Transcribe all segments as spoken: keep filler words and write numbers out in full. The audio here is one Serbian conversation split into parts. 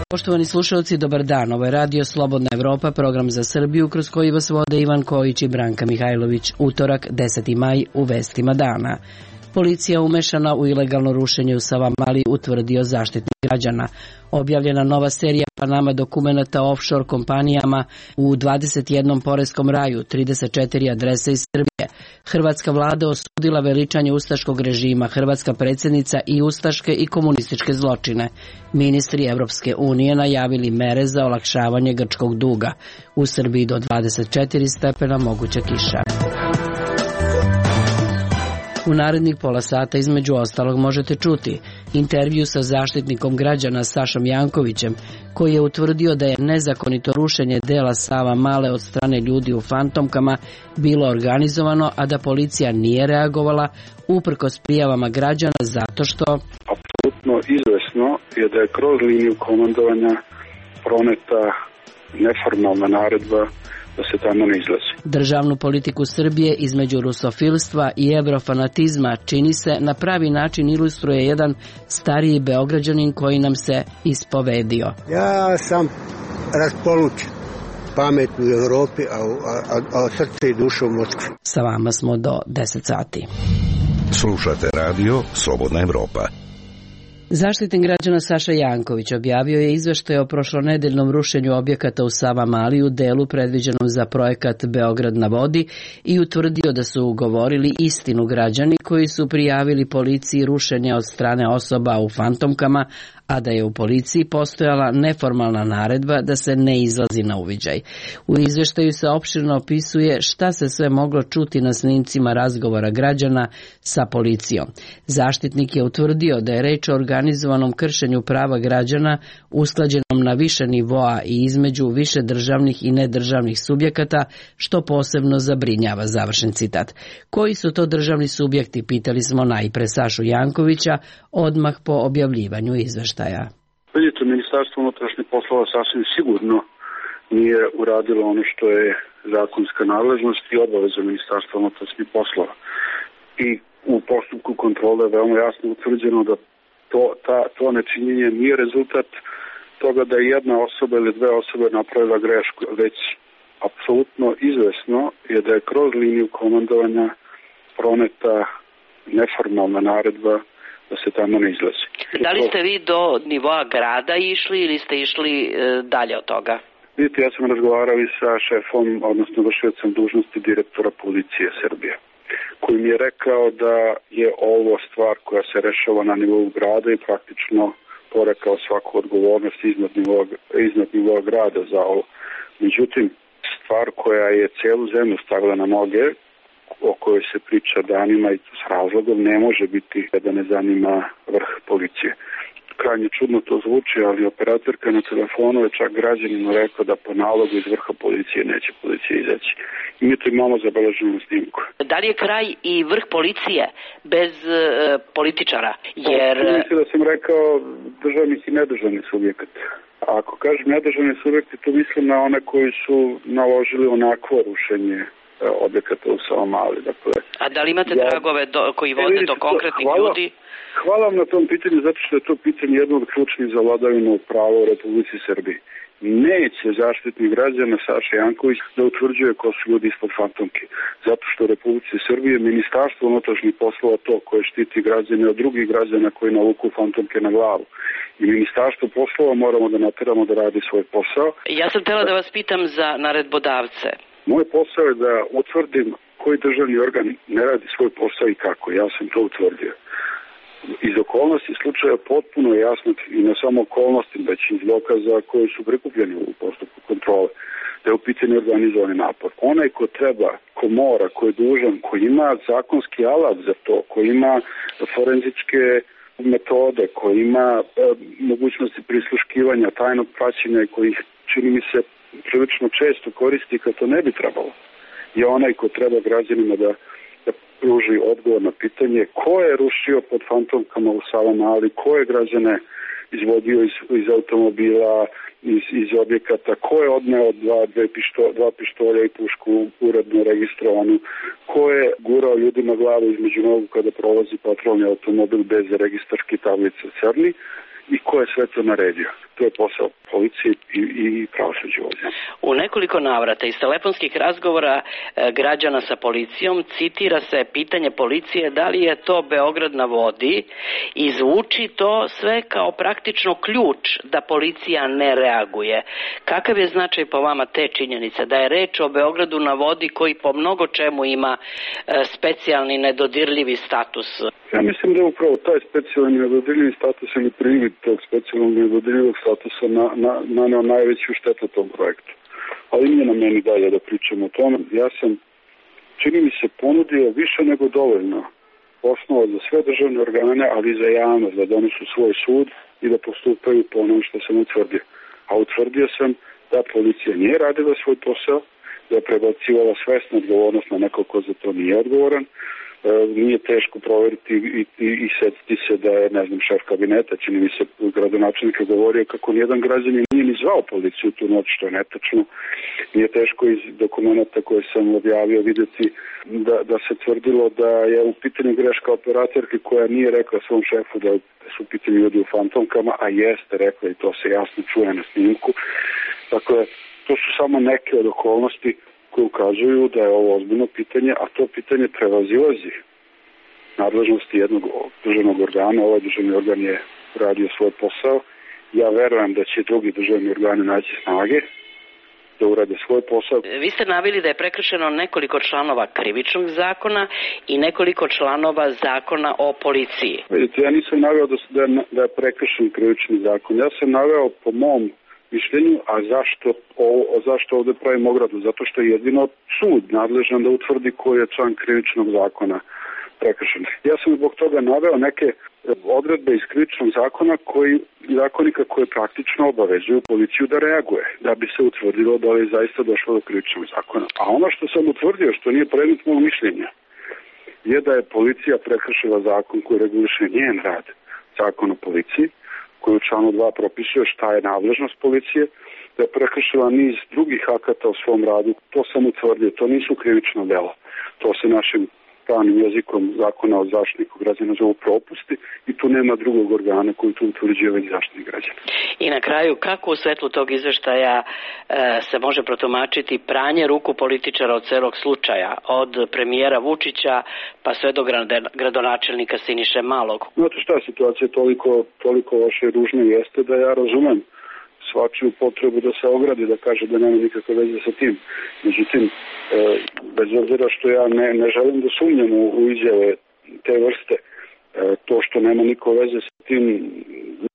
Poštovani slušalci, dobar dan. Ovo je Radio Slobodna Evropa, program za Srbiju, kroz koji vas vode Ivan Kojić i Branka Mihajlović. Utorak, deseti maj, u vestima dana. Policija umešana u ilegalno rušenje u Savamali, utvrdio Zaštitnik građana. Objavljena nova serija Panama dokumenata o offshore kompanijama u dvadeset jednom poreskom raju, trideset četiri adrese iz Srbije. Hrvatska vlada osudila veličanje ustaškog režima, hrvatska predsjednica i ustaške i komunističke zločine. Ministri Evropske unije najavili mere za olakšavanje grčkog duga. U Srbiji do dvadeset četiri stepena moguća kiša. U narednih pola sata između ostalog možete čuti intervju sa zaštitnikom građana Sašom Jankovićem, koji je utvrdio da je nezakonito rušenje dela Savamale od strane ljudi u fantomkama bilo organizovano, a da policija nije reagovala uprkos prijavama građana zato što... Apsolutno izvesno je da je kroz liniju komandovanja proneta neformalna naredba da se tamo ne izlazi. Državnu politiku Srbije između rusofilstva i evrofanatizma čini se na pravi način ilustruje jedan stariji Beograđanin koji nam se ispovedio. Ja sam raspolučen, pamet u Evropi, a, a, a srce i duša u Moskvi. Sa vama smo do deset sati. Slušate radio Slobodna Evropa. Zaštitnik građana Saša Janković objavio je izveštaj o prošlonedeljnom rušenju objekata u Savamali u delu predviđenom za projekat Beograd na vodi i utvrdio da su govorili istinu građani koji su prijavili policiji rušenje od strane osoba u fantomkama, a da je u policiji postojala neformalna naredba da se ne izlazi na uviđaj. U izveštaju se opširno opisuje šta se sve moglo čuti na snimcima razgovora građana sa policijom. Zaštitnik je utvrdio da je reč o organizovanom kršenju prava građana usklađenom na više nivoa i između više državnih i nedržavnih subjekata, što posebno zabrinjava, završen citat. Koji su to državni subjekti, pitali smo najpre Sašu Jankovića odmah po objavljivanju izveštaja. Vidite, Ministarstvo unutrašnjih poslova sasvim sigurno nije uradilo ono što je zakonska nadležnost i obaveza Ministarstva unutrašnjih poslova. I u postupku kontrole je veoma jasno utvrđeno da to, ta, to nečinjenje nije rezultat toga da je jedna osoba ili dve osobe napravila grešku, već apsolutno izvesno je da je kroz liniju komandovanja proneta neformalna naredba da se tamo ne izlazi. Da li ste vi do nivoa grada išli ili ste išli e, dalje od toga? Vidite, ja sam razgovarao i sa šefom, odnosno vršiocem dužnosti direktora policije Srbije, koji mi je rekao da je ovo stvar koja se rešava na nivou grada i praktično porekao svaku odgovornost iznad nivoa, iznad nivoa grada za ovo. Međutim, stvar koja je celu zemlju stavila na noge, o kojoj se priča danima i s razlogom, ne može biti da ne zanima vrh policije. Krajnje čudno to zvuči, ali operatorka na telefonu je čak građaninu rekao da po nalogu iz vrha policije neće policija izaći. I mi to imamo zabeleženo na snimku. Da li je kraj i vrh policije bez e, političara? Jer... Pa, mislim da sam rekao državnih i nedržavnih subjekata. A ako kažem nedržavni subjekti, to mislim na one koji su naložili onakvo rušenje objekata u Savamali. Dakle, a da li imate ja, tragove do, koji vode do konkretnih hvala, ljudi? Hvala vam na tom pitanju, zato što je to pitanje jedno od ključnih za vladavinu prava u Republici Srbiji. Neće zaštitnik građana Saša Janković da utvrđuje ko su ljudi ispod fantomke. Zato što u Republici Srbije Ministarstvo unutrašnjih poslova to koje štiti građane od drugih građana koji navuku fantomke na glavu. I Ministarstvo poslova moramo da nateramo da radi svoj posao. Ja sam htjela da vas pitam za naredbodavce. Moj posao je da utvrdim koji državni organ ne radi svoj posao i kako. Ja sam to utvrdio. Iz okolnosti slučaja potpuno je jasno i ne samo okolnosti, već iz dokaza koji su prikupljeni u postupku kontrole, da je u pitanju organizovani napor. Onaj ko treba, ko mora, ko je dužan, ko ima zakonski alat za to, ko ima forenzičke metode, ko ima e, mogućnosti prisluškivanja, tajnog praćenja i kojih, čini mi se, prilično često koristi kad to ne bi trebalo, je onaj ko treba građanima da, da pruži odgovor na pitanje ko je rušio pod fantomkama u Savamali, ko je građane izvodio iz, iz automobila, iz, iz objekata, ko je odneo dva, dve pišto, dva pištolja i pušku uredno registrovanu, ko je gurao ljudima glavu između nogu kada prolazi patrolni automobil bez registarske tablice crni i ko je sve to naredio. To je posao policije i, i pravosuđa ovdje. U nekoliko navrata iz telefonskih razgovora e, građana sa policijom citira se pitanje policije da li je to Beograd na vodi i zvuči to sve kao praktično ključ da policija ne reaguje. Kakav je značaj po vama te činjenice da je reč o Beogradu na vodi koji po mnogo čemu ima e, specijalni nedodirljivi status? Ja mislim da je upravo taj specijalni nedodirljivi status ili privid tog specijalnog nedodirljivog statusa na, na, naneo najveću štetu tom projektu. Ali nije na meni dalje da pričam o tome. Ja sam, čini mi se, ponudio više nego dovoljno osnova za sve državne organe, ali i za javnost, da donesu svoj sud i da postupaju po onom što sam utvrdio. A utvrdio sam da policija nije radila svoj posao, da je prebacivala svesnu odgovornost na neko ko za to nije odgovoran. Nije teško proveriti i, i, i setiti se da je, ne znam, šef kabineta, čini mi se gradonačelnik je govorio kako nijedan građanin nije ni zvao policiju tu noć, što je netačno. Nije teško iz dokumenta koje sam objavio vidjeti da, da se tvrdilo da je u pitanju greška operatorke koja nije rekla svom šefu da su u pitanju ljudi u fantomkama, a jeste rekla i to se jasno čuje na snimku. Dakle, to su samo neke od okolnosti koji ukazuju da je ovo ozbiljno pitanje, a to pitanje prevazilazi nadležnosti jednog državnog organa. Ovaj državni organ je radio svoj posao. Ja verujem da će drugi državni organi naći snage da urade svoj posao. Vi ste naveli da je prekršeno nekoliko članova krivičnog zakona i nekoliko članova zakona o policiji. Vidite, ja nisam naveo da, da je prekršen krivični zakon. Ja sam naveo po mom mišljenju, a zašto, o, zašto ovdje pravimo ogradu? Zato što je jedino sud nadležan da utvrdi koji je član krivičnog zakona prekršen. Ja sam zbog toga naveo neke odredbe iz krivičnog zakona koji, zakonika koje praktično obavezuju policiju da reaguje, da bi se utvrdilo da li je zaista došlo do krivičnog zakona. A ono što sam utvrdio, što nije predmet mog mišljenja, je da je policija prekršila zakon koji reguliše njen rad, zakon o policiji, koji u članu dva propisuje šta je nadležnost policije, da je prekršila niz drugih akata u svom radu. To sam utvrdio, to nisu krivično delo. To se našim pravnim jezikom zakona o zaštitniku građana zovu propusti i tu nema drugog organa koji tu utvrđuje već zaštitnik građana. I na kraju, kako u svetlu tog izveštaja e, se može protumačiti pranje ruku političara od celog slučaja, od premijera Vučića pa sve do gradonačelnika Siniše Malog? Znate šta, situacija toliko, toliko loše i ružna jeste da ja razumem svačiju potrebu da se ogradi, da kaže da nema nikakve veze sa tim. Međutim, e, bez obzira što ja ne, ne želim da sumnjam u, u izjave te vrste, e, to što nema niko veze sa tim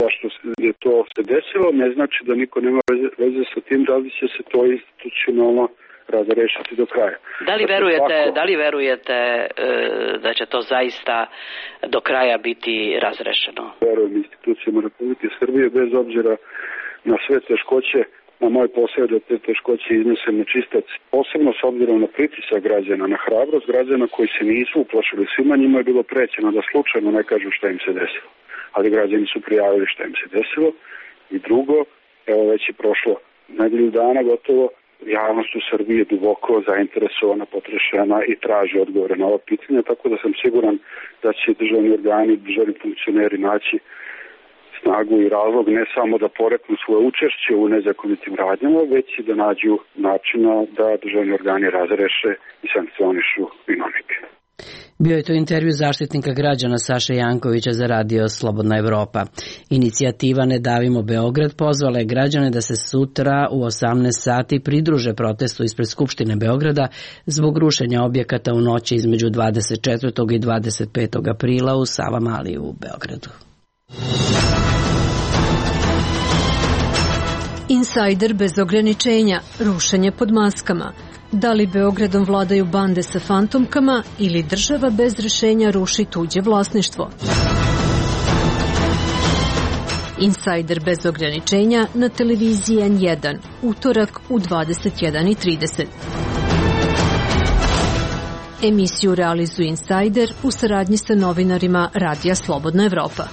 zašto je to se desilo, ne znači da niko nema veze, veze sa tim da li će se to institucionalno razrešiti do kraja. Da li verujete, tako, da li verujete e, da će to zaista do kraja biti razrešeno? Verujem institucijama Republike Srbije, bez obzira na sve teškoće, na moj posao da te teškoće iznesem na čistac, posebno s obzirom na pritisak građana, na hrabrost građana koji se nisu uplašili. Svima njima je bilo prećeno da slučajno ne kažu šta im se desilo. Ali građani su prijavili šta im se desilo. I drugo, evo već je prošlo nedelju dana gotovo, javnost u Srbiji je duboko zainteresovana, potrešena i traži odgovore na ova pitanja, tako da sam siguran da će državni organi, državni funkcioneri naći snagu i razlog ne samo da poreknu svoje učešće u nezakonitim radnjama, već i da nađu načina da državni organi razreše i sankcionišu vinovnike. Bio je to intervju zaštitnika građana Saše Jankovića za radio Slobodna Evropa. Inicijativa Ne davimo Beograd pozvala je građane da se sutra u osamnaest sati pridruže protestu ispred Skupštine Beograda zbog rušenja objekata u noći između dvadeset četvrtog i dvadeset petog aprila u Savamali u Beogradu. Insajder bez ograničenja, rušenje pod maskama. Da li Beogradom vladaju bande sa fantomkama ili država bez rešenja ruši tuđe vlasništvo? Insajder bez ograničenja na televiziji N jedan, utorak u dvadeset jedan i trideset. Emisiju realizuje Insajder u saradnji sa novinarima Radija Slobodna Evropa.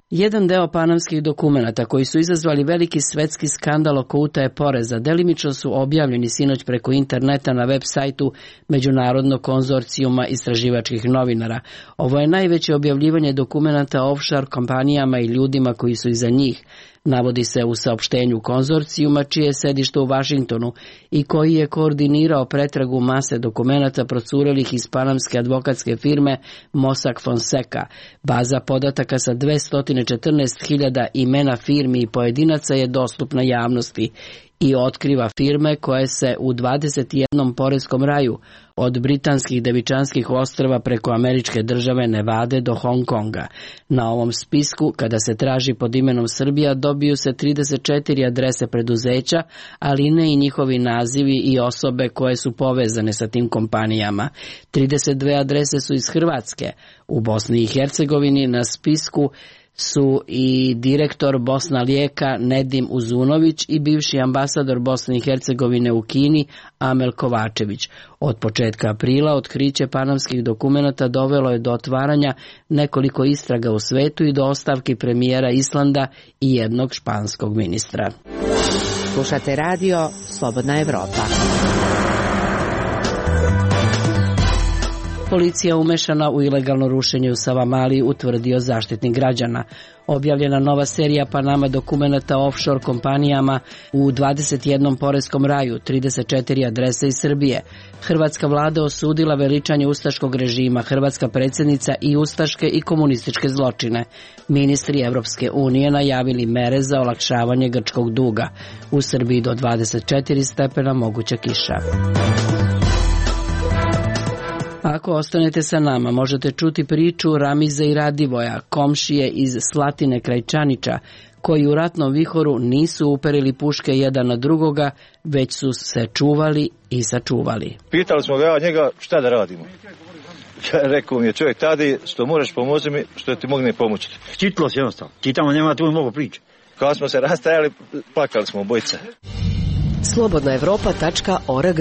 Jedan deo panamskih dokumenata koji su izazvali veliki svetski skandal oko utaje poreza delimično su objavljeni sinoć preko interneta na web sajtu Međunarodnog konzorcijuma istraživačkih novinara. Ovo je najveće objavljivanje dokumenata o offshore kompanijama i ljudima koji su iza njih. Navodi se u saopštenju konzorcijuma čije je sedište u Vašingtonu i koji je koordinirao pretragu mase dokumenata procurelih iz panamske advokatske firme Mossack Fonseca. Baza podataka sa dvesta četrnaest hiljada imena firmi i pojedinaca je dostupna javnosti i otkriva firme koje se u dvadeset jednom poreskom raju od britanskih Devičanskih ostrva preko američke države Nevade do Hong Konga. Na ovom spisku, kada se traži pod imenom Srbija, dobiju se trideset četiri adrese preduzeća, ali ne i njihovi nazivi i osobe koje su povezane sa tim kompanijama. trideset dve adrese su iz Hrvatske. U Bosni i Hercegovini na spisku su i direktor Bosna Lijeka Nedim Uzunović i bivši ambasador Bosne i Hercegovine u Kini Amel Kovačević. Od početka aprila otkriće panamskih dokumenata dovelo je do otvaranja nekoliko istraga u svetu i do ostavki premijera Islanda i jednog španskog ministra. Slušate radio Slobodna Evropa. Policija umešana u ilegalno rušenje u Savamali, utvrdio Zaštitnik građana. Objavljena nova serija Panama dokumenata o offshore kompanijama u dvadeset jednom poreskom raju, trideset četiri adrese iz Srbije. Hrvatska vlada osudila veličanje ustaškog režima, hrvatska predsjednica i ustaške i komunističke zločine. Ministri Evropske unije najavili mere za olakšavanje grčkog duga. U Srbiji do dvadeset četiri stepena moguća kiša. Ako ostanete sa nama, možete čuti priču Ramize i Radivoja, komšije iz Slatine kraj Čanića, koji u ratnom vihoru nisu uperili puške jedan na drugoga, već su se čuvali i sačuvali. Pitali smo ga njega šta da radimo. Rekao mi je čovjek tadi, što možeš pomoći mi, što ti mogne pomoći. Čitlo se jednostavno, čitamo, nema tu mnogo priče. Kada smo se rastajali, plakali smo obojice. slobodna evropa tačka org.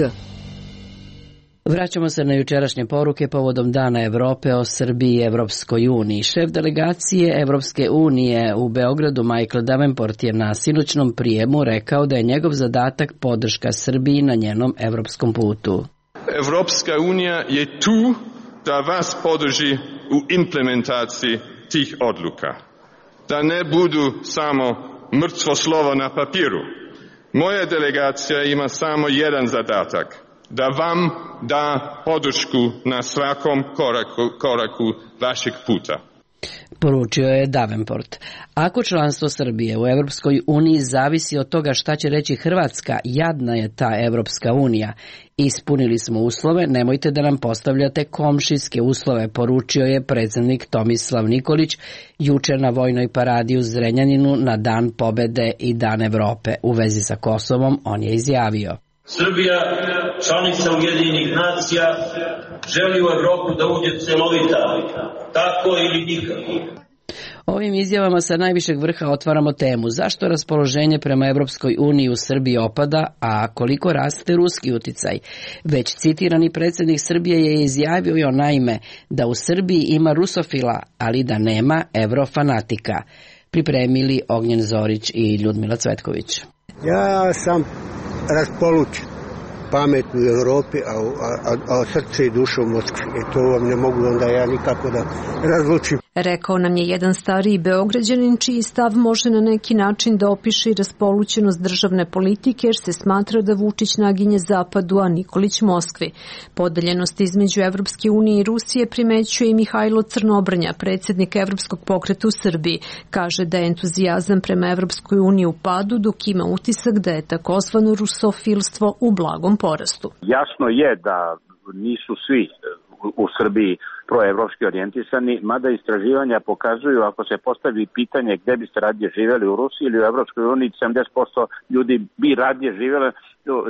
Vraćamo se na jučerašnje poruke povodom Dana Evrope o Srbiji i Evropskoj uniji. Šef delegacije Evropske unije u Beogradu Michael Davenport je na sinoćnom prijemu rekao da je njegov zadatak podrška Srbiji na njenom evropskom putu. Evropska unija je tu da vas podrži u implementaciji tih odluka. Da ne budu samo mrtvo slovo na papiru. Moja delegacija ima samo jedan zadatak. Da vam da podršku na svakom koraku, koraku vašeg puta. Poručio je Davenport. Ako članstvo Srbije u Evropskoj uniji zavisi od toga šta će reći Hrvatska, jadna je ta Evropska unija. Ispunili smo uslove, nemojte da nam postavljate komšijske uslove, poručio je predsjednik Tomislav Nikolić juče na vojnoj paradi u Zrenjaninu na Dan pobede i Dan Evrope. U vezi sa Kosovom on je izjavio: Srbija, članica Ujedinjenih nacija, želi u Evropu da uđe celovita, tako ili nikako. Ovim izjavama sa najvišeg vrha otvaramo temu zašto raspoloženje prema Evropskoj uniji u Srbiji opada, a koliko raste ruski uticaj. Već citirani predsjednik Srbije je izjavio naime da u Srbiji ima rusofila, ali da nema evrofanatika. Pripremili Ognjen Zorić i Ljudmila Cvetković. Ja sam raspolučen, pamet u Europi, a, a, a srce i duša u Moskvi. E to vam ne mogu onda ja nikako da razlučim. Rekao nam je jedan stariji Beograđanin čiji stav može na neki način da opiše raspolućenost državne politike jer se smatra da Vučić naginje zapadu, a Nikolić Moskvi. Podeljenost između Evropske unije i Rusije primećuje i Mihajlo Crnobrnja, predsjednik Evropskog pokreta u Srbiji. Kaže da je entuzijazam prema Evropskoj uniji u padu, dok ima utisak da je takozvano rusofilstvo u blagom porastu. Jasno je da nisu svi u Srbiji proevropski orijentisani, mada istraživanja pokazuju ako se postavi pitanje gde biste radije živjeli u Rusiji ili u Evropskoj uniji, sedamdeset posto ljudi bi radije živjela,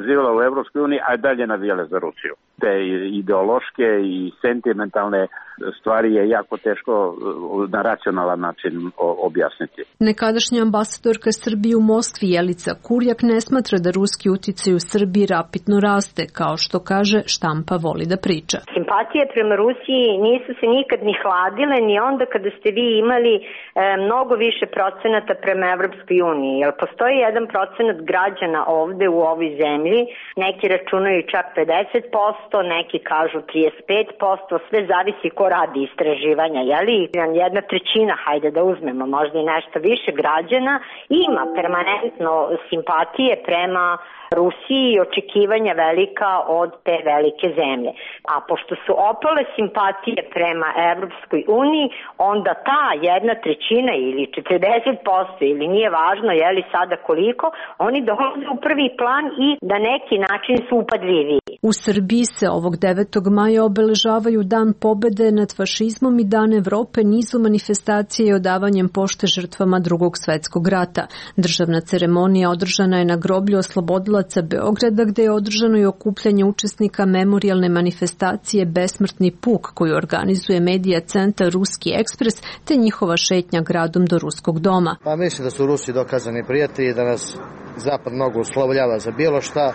živjela u Evropskoj uniji, a dalje navijale za Rusiju. te ideološke i sentimentalne stvari je jako teško na racionalan način objasniti. Nekadašnja ambasadorka Srbije u Moskvi Jelica Kurjak ne smatra da ruski uticaj u Srbiji rapidno raste, kao što kaže, štampa voli da priča. Simpatije prema Rusiji nisu se nikad ni hladile, ni onda kada ste vi imali e, mnogo više procenata prema Evropskoj uniji. Jer postoji jedan procenat građana ovde u ovoj zemlji, neki računaju čak pedeset posto, neki kažu trideset pet posto, sve zavisi ko radi istraživanja, jeli? Jedna trećina, hajde da uzmemo, možda i nešto više građana, ima permanentno simpatije prema Rusiji i očekivanja velika od te velike zemlje. A pošto su opale simpatije prema Evropskoj uniji, onda ta jedna trećina ili četrdeset posto ili nije važno je li sada koliko, oni dolaze u prvi plan i na neki način su upadljiviji. U Srbiji se ovog devetog maja obeležavaju Dan pobede nad fašizmom i Dan Evrope nizu manifestacije i odavanjem pošte žrtvama Drugog svetskog rata. Državna ceremonija održana je na groblju oslobodilaca Beograda, gde je održano i okupljanje učesnika memorijalne manifestacije Besmrtni puk, koju organizuje medija centar Ruski ekspres, te njihova šetnja gradom do Ruskog doma. Pa mislim da su Rusi dokazani prijatelji, da nas Zapad mnogo uslovljava za bilo šta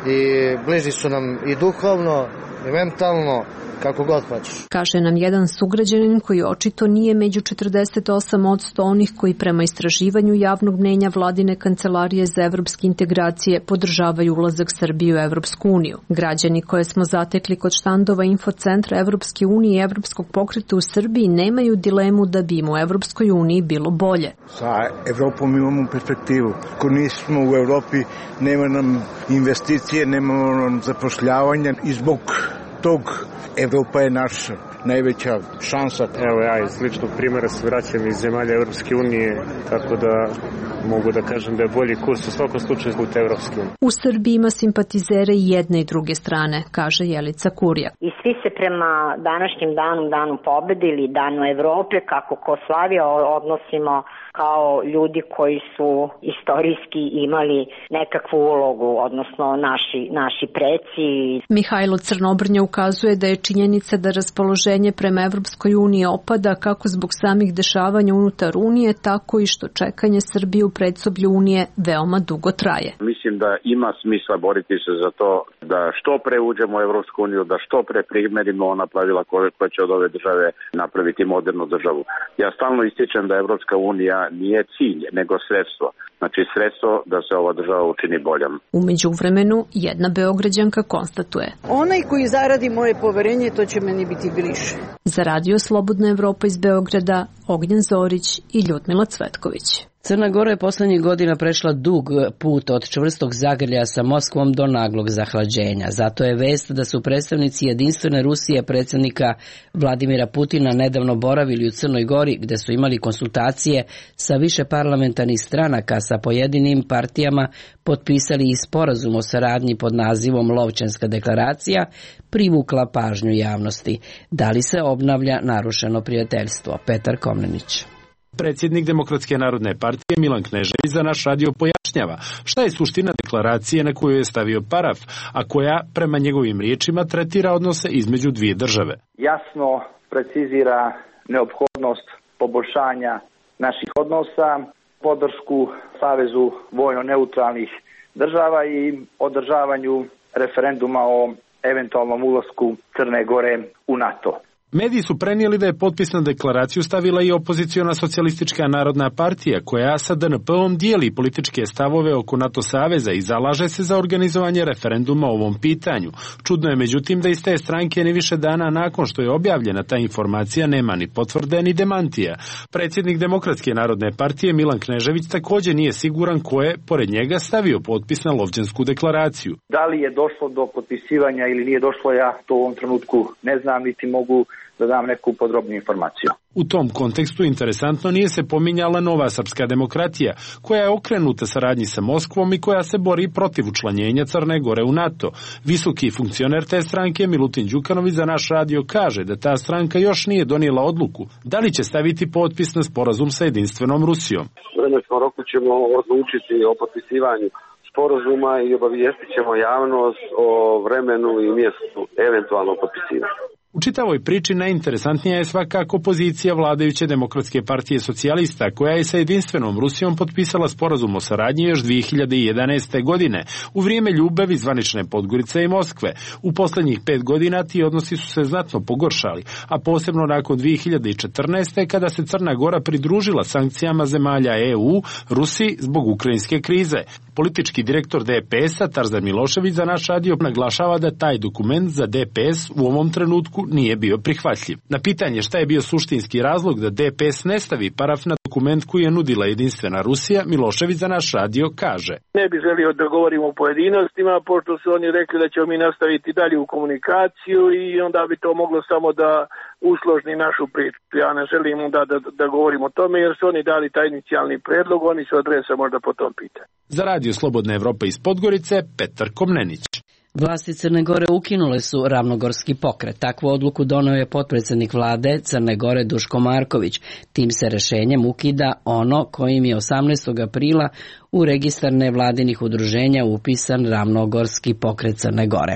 i bliži su nam i duhovno i mentalno, kako god hoćeš. Kaže nam jedan sugrađanin koji očito nije među četrdeset osam posto onih koji prema istraživanju javnog mnjenja Vladine kancelarije za evropske integracije podržavaju ulazak Srbije u Evropsku uniju. Građani koje smo zatekli kod štandova Infocentra Evropske unije i Evropskog pokreta u Srbiji nemaju dilemu da bi im u Evropskoj uniji bilo bolje. Sa Evropom imamo perspektivu. Ako nismo u Evropi, nema nam investicije, nemamo nam zapošljavanja i zbog tog Evropa je naša najveća šansa. Evo ja iz ličnog primjera se vraćam iz zemalja Evropske unije, tako da mogu da kažem da je bolji kurs u svakom slučaju put Evropske unije. U Srbiji ima simpatizere i jedne i druge strane, kaže Jelica Kurjak. I svi se prema današnjem danu, danu pobede ili danu Evrope, kako ko slavi, odnosimo kao ljudi koji su istorijski imali nekakvu ulogu, odnosno naši, naši preci. Mihajlo Crnobrnja ukazuje da je činjenica da raspoloženje prema Evropskoj uniji opada kako zbog samih dešavanja unutar Unije, tako i što čekanje Srbije u predsoblju Unije veoma dugo traje. Mislim da ima smisla boriti se za to da što pre uđemo u Evropsku uniju, da što pre primerimo ona pravila koja će od ove države napraviti modernu državu. Ja stalno ističem da Evropska unija nije cilj, nego sredstvo. Znači sredstvo da se ova država učini boljom. U međuvremenu, jedna Beograđanka konstatuje: onaj koji zaradi moje poverenje, to će meni biti bliže. Za Radio Slobodna Evropa iz Beograda, Ognjen Zorić i Ljudmila Cvetković. Crna Gora je poslednjih godina prešla dug put od čvrstog zagrljaja sa Moskvom do naglog zahlađenja. Zato je vest da su predstavnici Jedinstvene Rusije predsjednika Vladimira Putina nedavno boravili u Crnoj Gori, gde su imali konsultacije sa više parlamentarnih stranaka, sa pojedinim partijama potpisali i sporazum o saradnji pod nazivom Lovćenska deklaracija, privukla pažnju javnosti. Da li se obnavlja narušeno prijateljstvo? Petar Komnenić. Predsjednik Demokratske narodne partije Milan Knežević za naš radio pojašnjava šta je suština deklaracije na koju je stavio paraf, a koja, prema njegovim riječima, tretira odnose između dvije države. Jasno precizira neophodnost poboljšanja naših odnosa, podršku Savezu vojno-neutralnih država i održavanju referenduma o eventualnom ulasku Crne Gore u NATO. Mediji su prenijeli da je potpis na deklaraciju stavila i opoziciona socijalistička narodna partija, koja sa D N P-om dijeli političke stavove oko NATO saveza i zalaže se za organizovanje referenduma o ovom pitanju. Čudno je međutim da iz te stranke ni više dana nakon što je objavljena ta informacija nema ni potvrde ni demantija. Predsjednik Demokratske narodne partije Milan Knežević također nije siguran ko je, pored njega, stavio potpis na Lovćensku deklaraciju. Da li je došlo do potpisivanja ili nije došlo, ja to u ovom trenutku ne znam, niti mogu da dam neku podrobniju informaciju. U tom kontekstu interesantno nije se pominjala Nova srpska demokratija, koja je okrenuta saradnji sa Moskvom i koja se bori protiv učlanjenja Crne Gore u NATO. Visoki funkcioner te stranke Milutin Đukanović za naš radio kaže da ta stranka još nije donijela odluku da li će staviti potpis na sporazum sa Jedinstvenom Rusijom. U vremenskom roku ćemo odlučiti o potpisivanju sporazuma i obavijestit ćemo javnost o vremenu i mjestu eventualnog potpisivanja. U čitavoj priči najinteresantnija je svakako pozicija vladajuće Demokratske partije socijalista, koja je sa jedinstvenom Rusijom potpisala sporazum o saradnji još dvije hiljade jedanaeste. godine, u vrijeme ljubavi zvanične Podgorice i Moskve. U posljednjih pet godina ti odnosi su se znatno pogoršali, a posebno nakon dvije hiljade četrnaeste. kada se Crna Gora pridružila sankcijama zemalja E U Rusiji zbog ukrajinske krize. Politički direktor D P S-a Tarzan Milošević za naš radio naglašava da taj dokument za D P S u ovom trenutku nije bio prihvatljiv. Na pitanje šta je bio suštinski razlog da D P S ne stavi paraf na dokument koji je nudila jedinstvena Rusija, Milošević za naš radio kaže: Ne bi želio da govorimo o pojedinostima, pošto su oni rekli da ćemo mi nastaviti dalje u komunikaciju i onda bi to moglo samo da usložni našu priču. Ja ne želim da, da, da govorim o tome jer su oni dali taj inicijalni predlog, oni su adresa možda po tom pitanju. Za radio Slobodna Evropa iz Podgorice, Petar Komnenić. Vlasti Crne Gore ukinule su ravnogorski pokret. Takvu odluku doneo je potpredsjednik vlade Crne Gore Duško Marković. Tim se rješenjem ukida ono kojim je osamnaestog aprila u registar nevladinih udruženja upisan ravnogorski pokret Crne Gore.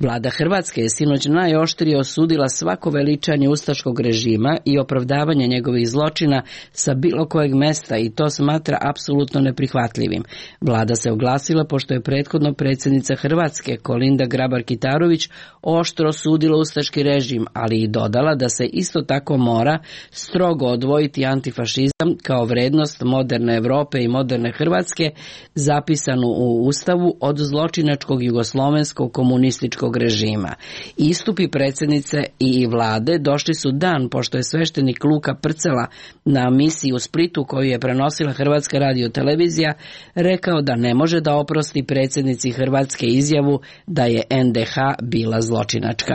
Vlada Hrvatske je sinoć najoštrije osudila svako veličanje ustaškog režima i opravdavanje njegovih zločina sa bilo kojeg mesta i to smatra apsolutno neprihvatljivim. Vlada se oglasila pošto je prethodno predsjednica Hrvatske Kolinda Grabar-Kitarović oštro osudila ustaški režim, ali i dodala da se isto tako mora strogo odvojiti antifašizam kao vrednost moderne Europe i moderne Hrvatske zapisanu u Ustavu od zločinačkog jugoslovenskog komunističkog režima. Istupi predsjednice i vlade došli su dan pošto je sveštenik Luka Prcela na misiji u Splitu koju je prenosila Hrvatska radiotelevizija rekao da ne može da oprosti predsjednici Hrvatske izjavu da je N D H bila zločinačka.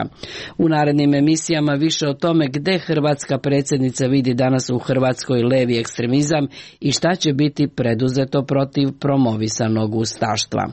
U narednim emisijama više o tome gde hrvatska predsjednica vidi danas u Hrvatskoj levi ekstremizam i šta će biti preduzeto protiv promovisanog ustaštva.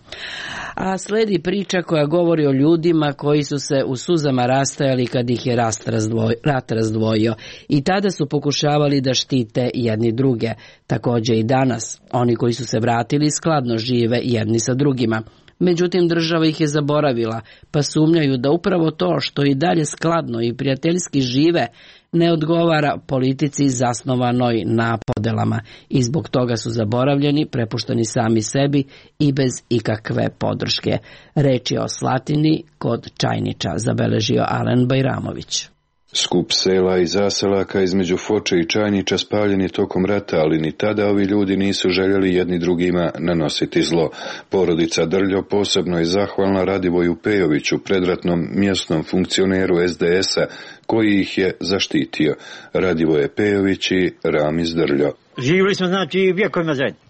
A sledi priča koja govori o ljudima koji su se u suzama rastajali kad ih je rat razdvojio, rat razdvojio i tada su pokušavali da štite jedni druge. Također i danas, oni koji su se vratili skladno žive jedni sa drugima. Međutim, država ih je zaboravila, pa sumnjaju da upravo to što i dalje skladno i prijateljski žive ne odgovara politici zasnovanoj na podelama i zbog toga su zaboravljeni, prepušteni sami sebi i bez ikakve podrške. Reč je o Slatini kod Čajniča, zabeležio Alen Bajramović. Skup sela i zaselaka između Foče i Čajniča spaljen je tokom rata, ali ni tada ovi ljudi nisu željeli jedni drugima nanositi zlo. Porodica Drljo posebno je zahvalna Radivoju Pejoviću, predratnom mjesnom funkcioneru S D S-a, koji ih je zaštitio. Radivoje Pejović i Ramiz Drljo. Živjeli smo, znači, vjekovima zajedno.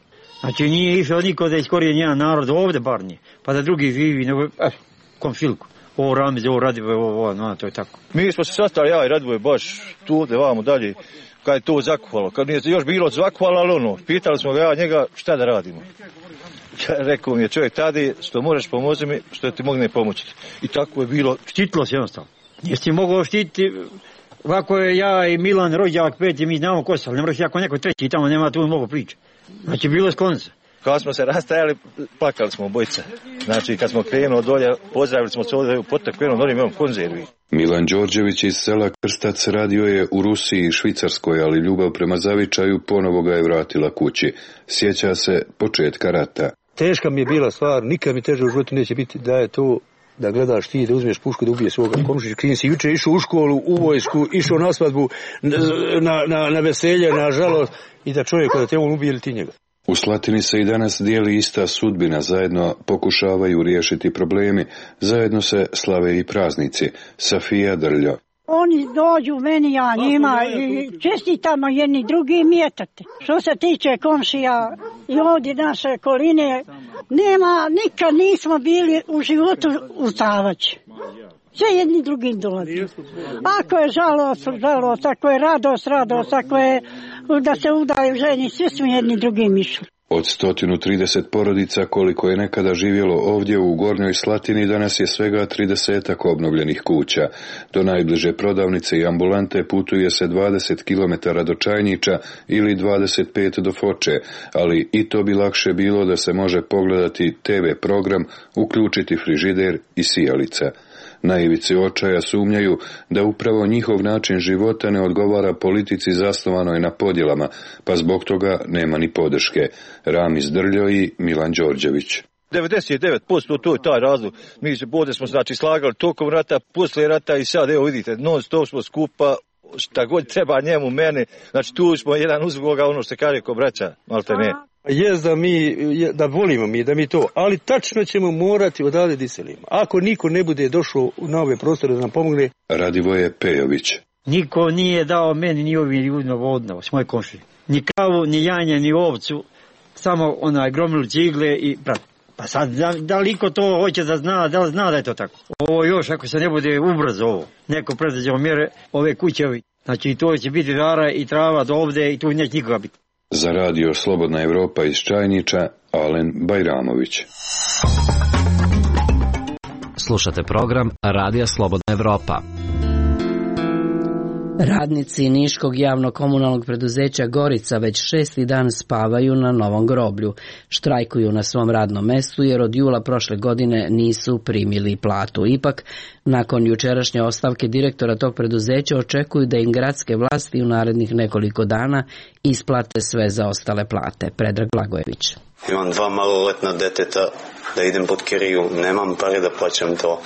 Znači, nije išao niko da iskorije njen narod, ovdje bar nije, pa da drugi živi, nego, eh, komšilku. Ovo Ramiz, ovo Radivoje, ovo, ovo, no, to je tako. Mi smo se sastali, ja i Radivoje, baš tu, ovdje, vamo dalje, kad je to zakuvalo. Kad nije još bilo zakuvalo, ali ono, pitali smo ga ja njega šta da radimo. Ja, rekao mi je čovjek tada, što možeš pomoći mi, što ti mogne pomoći. I tako je bilo. Štitilo se jednostavno. Jesi ti mogao štititi, ovako je ja i Milan, rođak, peti, mi znamo ko se, ali ne moraš jako neko treći, tamo nema tu mogu priče. Znači, bilo je sklonca. Kad smo se rastajali, plakali smo obojica. Znači, kad smo krenuli dolje, pozdravili smo se ovdje u potak, krenuli dolje, imamo konzervi. Milan Đorđević iz sela Krstac radio je u Rusiji i Švicarskoj, ali ljubav prema zavičaju ponovo ga je vratila kući. Sjeća se početka rata. Teška mi je bila stvar, nikad mi teže u životu neće biti da je to da gledaš ti, da uzmeš pušku, da ubije svoga komšića. Klin si juče išao u školu, u vojsku, išao na svadbu, na, na, na veselje, na žalost, i da čovjek da te on ubije ili ti njega. U Slatini se i danas dijeli ista sudbina, zajedno pokušavaju riješiti problemi, zajedno se slave i praznici. Safija Drljo. Oni dođu meni, ja njima i čestitamo jedni drugi mjetate. Što se tiče komšija i ovdje naše koline, nema, nikad nismo bili u životu ustavaći. Sve jedni drugim dolazi. Ako je žalost, žalost, ako je radost, radost, ako je da se udaju ženi, svi smo jedni drugim išli. Od sto trideset porodica koliko je nekada živjelo ovdje u Gornjoj Slatini, danas je svega tridesetak obnovljenih kuća. Do najbliže prodavnice i ambulante putuje se dvadeset kilometara do Čajnića ili dvadeset pet do Foče, ali i to bi lakše bilo da se može pogledati te ve program, uključiti frižider i sijalica. Na ivici očaja sumnjaju da upravo njihov način života ne odgovara politici zasnovanoj na podjelama, pa zbog toga nema ni podrške. Ramiz Drljo i Milan Đorđević. devedeset devet posto to je taj razlog. Mi se bode smo znači slagali tokom rata, poslije rata i sad evo vidite, non stop smo skupa, šta god treba njemu, meni, znači tu smo jedan uz drugoga, ono što se kaže ko braća, malte ne. Jest da mi, da volimo mi, da mi to, ali tačno ćemo morati odavde da iselimo. Ako niko ne bude došao na ove prostore da nam pomogne. Radivoje Pejović. Niko nije dao meni ni ovim ljudima vodno, s moje komšije. Ni kavu, ni janje, ni ovcu, samo onaj gromilu cigle i brat. Pa sad, da, da li ko to hoće da zna, da li zna da je to tako? Ovo još, ako se ne bude ubrzo ovo, neko predviđao mjere, ove kuće, znači to će biti dara i trava do ovde i tu neće nikoga biti. Za radio Slobodna Evropa iz Čajnića, Alen Bajramović. Slušate program Radija Slobodna Evropa. Radnici Niškog javno-komunalnog preduzeća Gorica već šesti dan spavaju na novom groblju. Štrajkuju na svom radnom mestu jer od jula prošle godine nisu primili platu. Ipak, nakon jučerašnje ostavke direktora tog preduzeća očekuju da im gradske vlasti u narednih nekoliko dana isplate sve zaostale plate. Predrag Blagojević. Imam dva maloletna deteta da idem pod kiriju, nemam pare da plaćam to.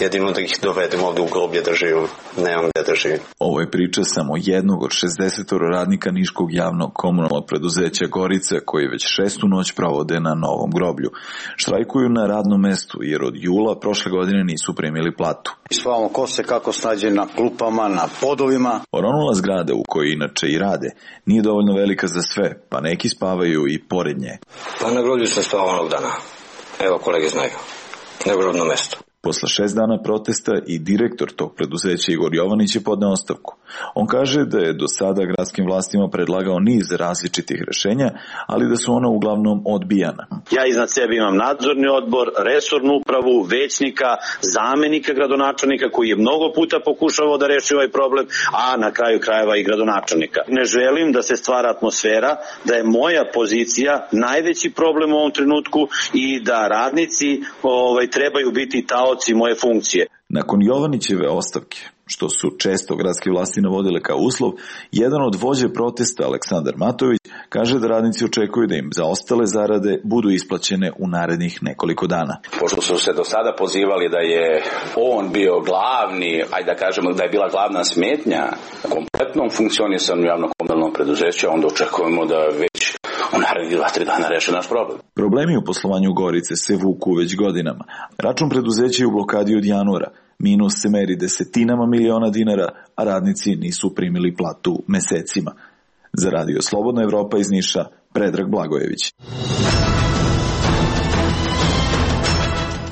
Jedino da ih dovedem ovdje u groblje da živim. Nemam gdje da živim. Ovo je priča samo jednog od šezdeset radnika Niškog javnog komunalnog preduzeća Gorice, koji već šestu noć provode na novom groblju. Štrajkuju na radnom mestu jer od jula prošle godine nisu primili platu. Spavamo ko se kako snađe na klupama, na podovima. Oronula zgrada u kojoj inače i rade nije dovoljno velika za sve, pa neki spavaju i pored nje. Pa na groblju sam spavao onog dana. Evo, kolege znaju. Na grobno mesto. Posle šest dana protesta i direktor tog preduzeća Igor Jovanić je podneo ostavku. On kaže da je do sada gradskim vlastima predlagao niz različitih rešenja, ali da su ona uglavnom odbijana. Ja iznad sebe imam nadzorni odbor, resornu upravu, većnika, zamenika gradonačelnika koji je mnogo puta pokušavao da reši ovaj problem, a na kraju krajeva i gradonačelnika. Ne želim da se stvara atmosfera da je moja pozicija najveći problem u ovom trenutku i da radnici ovaj, trebaju biti ta moje funkcije. Nakon Jovanićeve ostavke, što su često gradske vlasti navodile kao uslov, jedan od vođe protesta, Aleksandar Matović, kaže da radnici očekuju da im zaostale zarade budu isplaćene u narednih nekoliko dana. Pošto su se do sada pozivali da je on bio glavni, ajde da kažemo da je bila glavna smetnja kompletnom funkcionisanju javno-komunalnog preduzeća, onda očekujemo da već u narednih dva, tri dana reše naš problem. Problemi u poslovanju Gorice se vuku već godinama. Račun preduzeća je u blokadi od januara. Minus se meri desetinama miliona dinara, a radnici nisu primili platu mesecima. Za radio Slobodna Evropa iz Niša, Predrag Blagojević.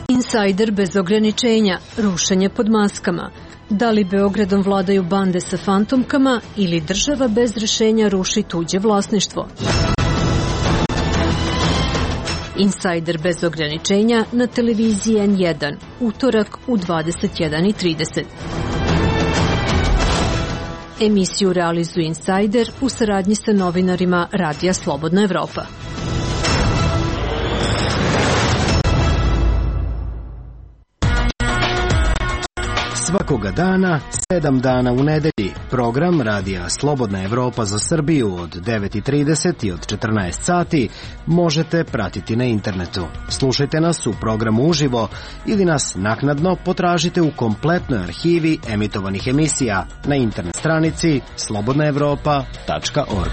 Insajder bez ograničenja, rušenje pod maskama. Da li Beogradom vladaju bande sa fantomkama ili država bez rešenja ruši tuđe vlasništvo? Insajder bez ograničenja na televiziji en jedan, utorak u dvadeset jedan i trideset. Emisiju realizuje Insajder u saradnji sa novinarima Radija Slobodna Evropa. Svakoga dana, sedam dana u nedelji, program Radija Slobodna Evropa za Srbiju od devet i trideset i od četrnaest sati možete pratiti na internetu. Slušajte nas u programu uživo ili nas naknadno potražite u kompletnoj arhivi emitovanih emisija na internet stranici slobodna evropa tačka org.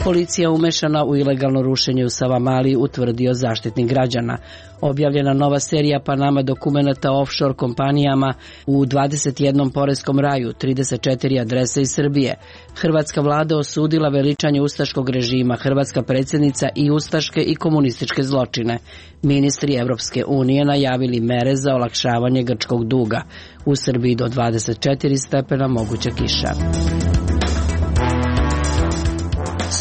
Policija umešana u ilegalno rušenje u Savamali, utvrdio Zaštitnik građana. Objavljena nova serija Panama dokumenata o offshore kompanijama u dvadeset jednom poreskom raju, trideset četiri adrese iz Srbije. Hrvatska vlada osudila veličanje ustaškog režima, hrvatska predsjednica i ustaške i komunističke zločine. Ministri Evropske unije najavili mere za olakšavanje grčkog duga. U Srbiji do dvadeset četiri stepena moguća kiša.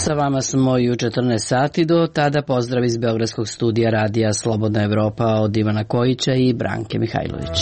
Sa vama smo i u četrnaest sati, do tada pozdrav iz Beogradskog studija radija Slobodna Evropa od Ivana Kojića i Branke Mihajlović.